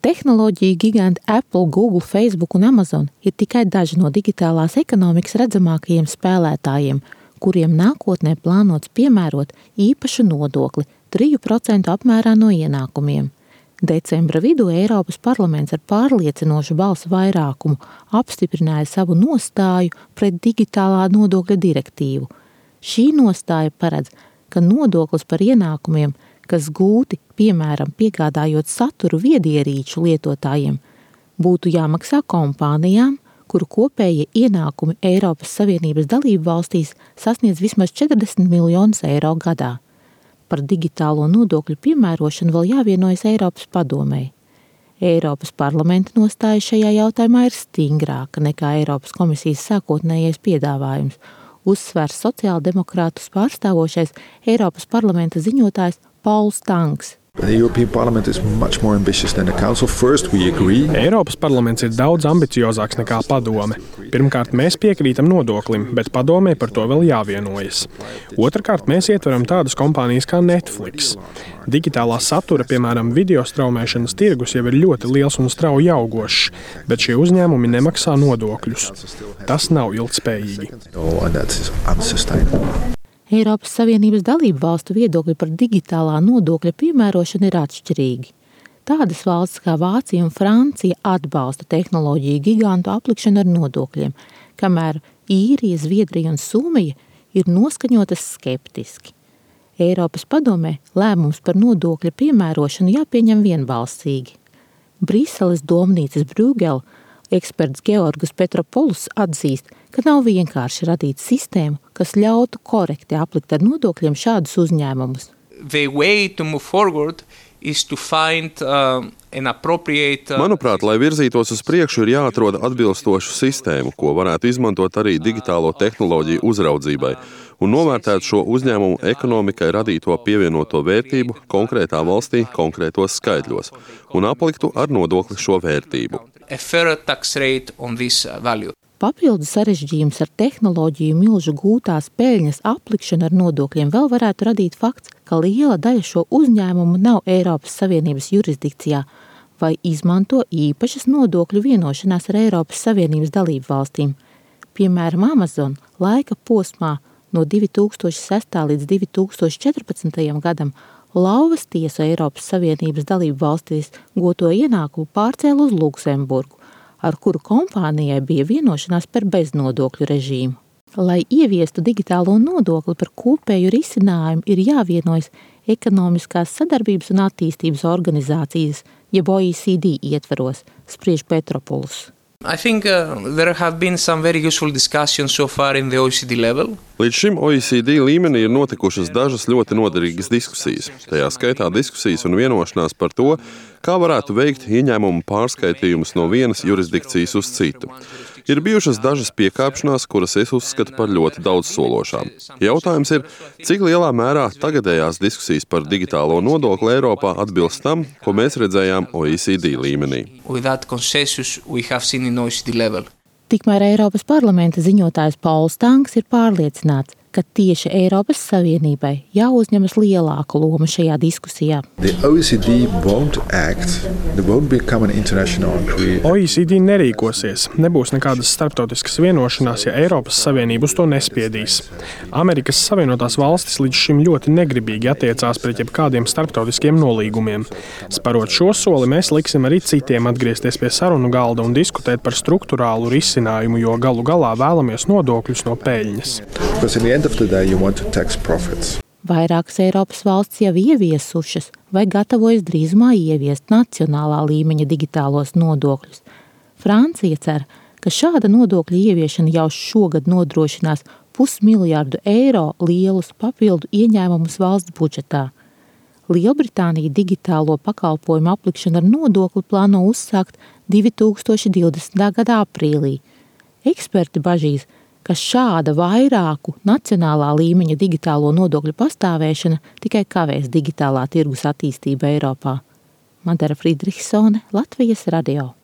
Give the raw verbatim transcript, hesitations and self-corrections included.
Tehnoloģiju giganti Apple, Google, Facebook un Amazon ir tikai daži no digitālās ekonomikas redzamākajiem spēlētājiem, kuriem nākotnē plānots piemērot īpašu nodokli trīs procenti apmērā no ienākumiem. Decembra vidū Eiropas parlaments ar pārliecinošu balsu vairākumu apstiprināja savu nostāju pret digitālā nodokļa direktīvu. Šī nostāja paredz, ka nodoklis par ienākumiem, kas gūti, piemēram, piegādājot saturu viedierīču lietotājiem, būtu jāmaksā kompānijām, kuru kopējie ienākumi Eiropas Savienības dalību valstīs sasniedz vismaz četrdesmit miljonus eiro gadā. Par digitālo nodokļu piemērošanu vēl jāvienojas Eiropas padomei. Eiropas parlamenta nostāja šajā jautājumā ir stingrāka nekā Eiropas komisijas sākotnējais piedāvājums, uzsvērs sociāldemokrātus pārstāvošais Eiropas parlamenta ziņotājs Pauls Tanks. Eiropas parlaments ir daudz ambiciozāks nekā padome. Pirmkārt, mēs piekrītam nodoklim, bet padomei par to vēl jāvienojas. Otrakārt, mēs ietveram tādas kompānijas kā Netflix. Digitālā satura, piemēram, video straumēšanas tirgus jau ir ļoti liels un strauji augošs, bet šie uzņēmumi nemaksā nodokļus. Tas nav ilgtspējīgi. Eiropas Savienības dalību valstu viedokļi par digitālā nodokļa piemērošanu ir atšķirīgi. Tādas valstis kā Vācija un Francija atbalsta tehnoloģiju gigantu aplikšanu ar nodokļiem, kamēr Īrija, Zviedrija un Somija ir noskaņotas skeptiski. Eiropas padomē lēmums par nodokļa piemērošanu jāpieņem vienbalsīgi. Briseles domnīcas Brūgela eksperts Georgus Petropoulos atzīst, ka nav vienkārši radīt sistēmu, kas ļautu korekti aplikt ar nodokļiem šādus uzņēmumus. Find, uh, Manuprāt, lai virzītos uz priekšu, ir jāatrod atbilstošu sistēmu, ko varētu izmantot arī digitālo tehnoloģiju uzraudzībai un novērtēt šo uzņēmumu ekonomikai radīto pievienoto vērtību konkrētā valstī konkrētos skaitļos un apliktu ar nodokli šo vērtību. Papildus sarežģījums ar tehnoloģiju milžu gūtās peļņas aplikšanu ar nodokļiem vēl varētu radīt fakts, ka liela daļa šo uzņēmumu nav Eiropas Savienības jurisdikcijā vai izmanto īpašas nodokļu vienošanās ar Eiropas Savienības dalību valstīm. Piemēram, Amazon laika posmā no divi tūkstoši sestā līdz divi tūkstoši četrpadsmitajam gadam lauvas tiesu Eiropas Savienības dalību valstīs goto ienākumu pārcēla uz Luksemburgu, ar kuru kompānijai bija vienošanās par beznodokļu režīmu. Lai ieviestu digitālo nodokli par kopēju risinājumu, ir jāvienojas ekonomiskās sadarbības un attīstības organizācijas, jeb O E C D ietvaros, spriež Petropoulos. I think uh, there have been some very useful discussions so far in the O E C D level. Līdz šim O E C D līmenī ir notikušas dažas ļoti noderīgas diskusijas. Tajā skaitā diskusijas un vienošanās par to, kā varētu veikt ieņēmumu pārskaitījumus no vienas jurisdikcijas uz citu. Ir bijušas dažas piekāpšanās, kuras es uzskatu par ļoti daudzsološām. Jautājums ir, cik lielā mērā tagadējās diskusijas par digitālo nodokli Eiropā atbilst tam, ko mēs redzējām O E C D līmenī. Tikmēr Eiropas parlamenta ziņotājs Pauls Tanks ir pārliecināts, ka tieši Eiropas Savienībai jāuzņemas lielāka loma šajā diskusijā. O E C D O E C D nerīkosies, nebūs nekādas starptautiskas vienošanās, ja Eiropas Savienība uz to nespiedīs. Amerikas Savienotās valstis līdz šim ļoti negribīgi attiecās pret jebkādiem starptautiskiem nolīgumiem. Sparot šo soli, mēs liksim arī citiem atgriezties pie sarunu galda un diskutēt par struktūrālu risinājumu, jo galu galā vēlamies nodokļus no peļņas. Vairākas Eiropas valsts jau ieviesušas vai gatavojas drīzumā ieviest nacionālā līmeņa digitālos nodokļus. Francija cer, ka šāda nodokļa ieviešana jau šogad nodrošinās pusmiljārdu eiro lielus papildu ieņēmumus valsts budžetā. Lielbritānija digitālo pakalpojumu aplikšanu ar nodokli plāno uzsākt divi tūkstoši divdesmitā gada aprīlī. Eksperti bažīs, ka šāda vairāku nacionālā līmeņa digitālo nodokļu pastāvēšana tikai kavēs digitālā tirgus attīstību Eiropā. Madara Friedrichsone, Latvijas radio.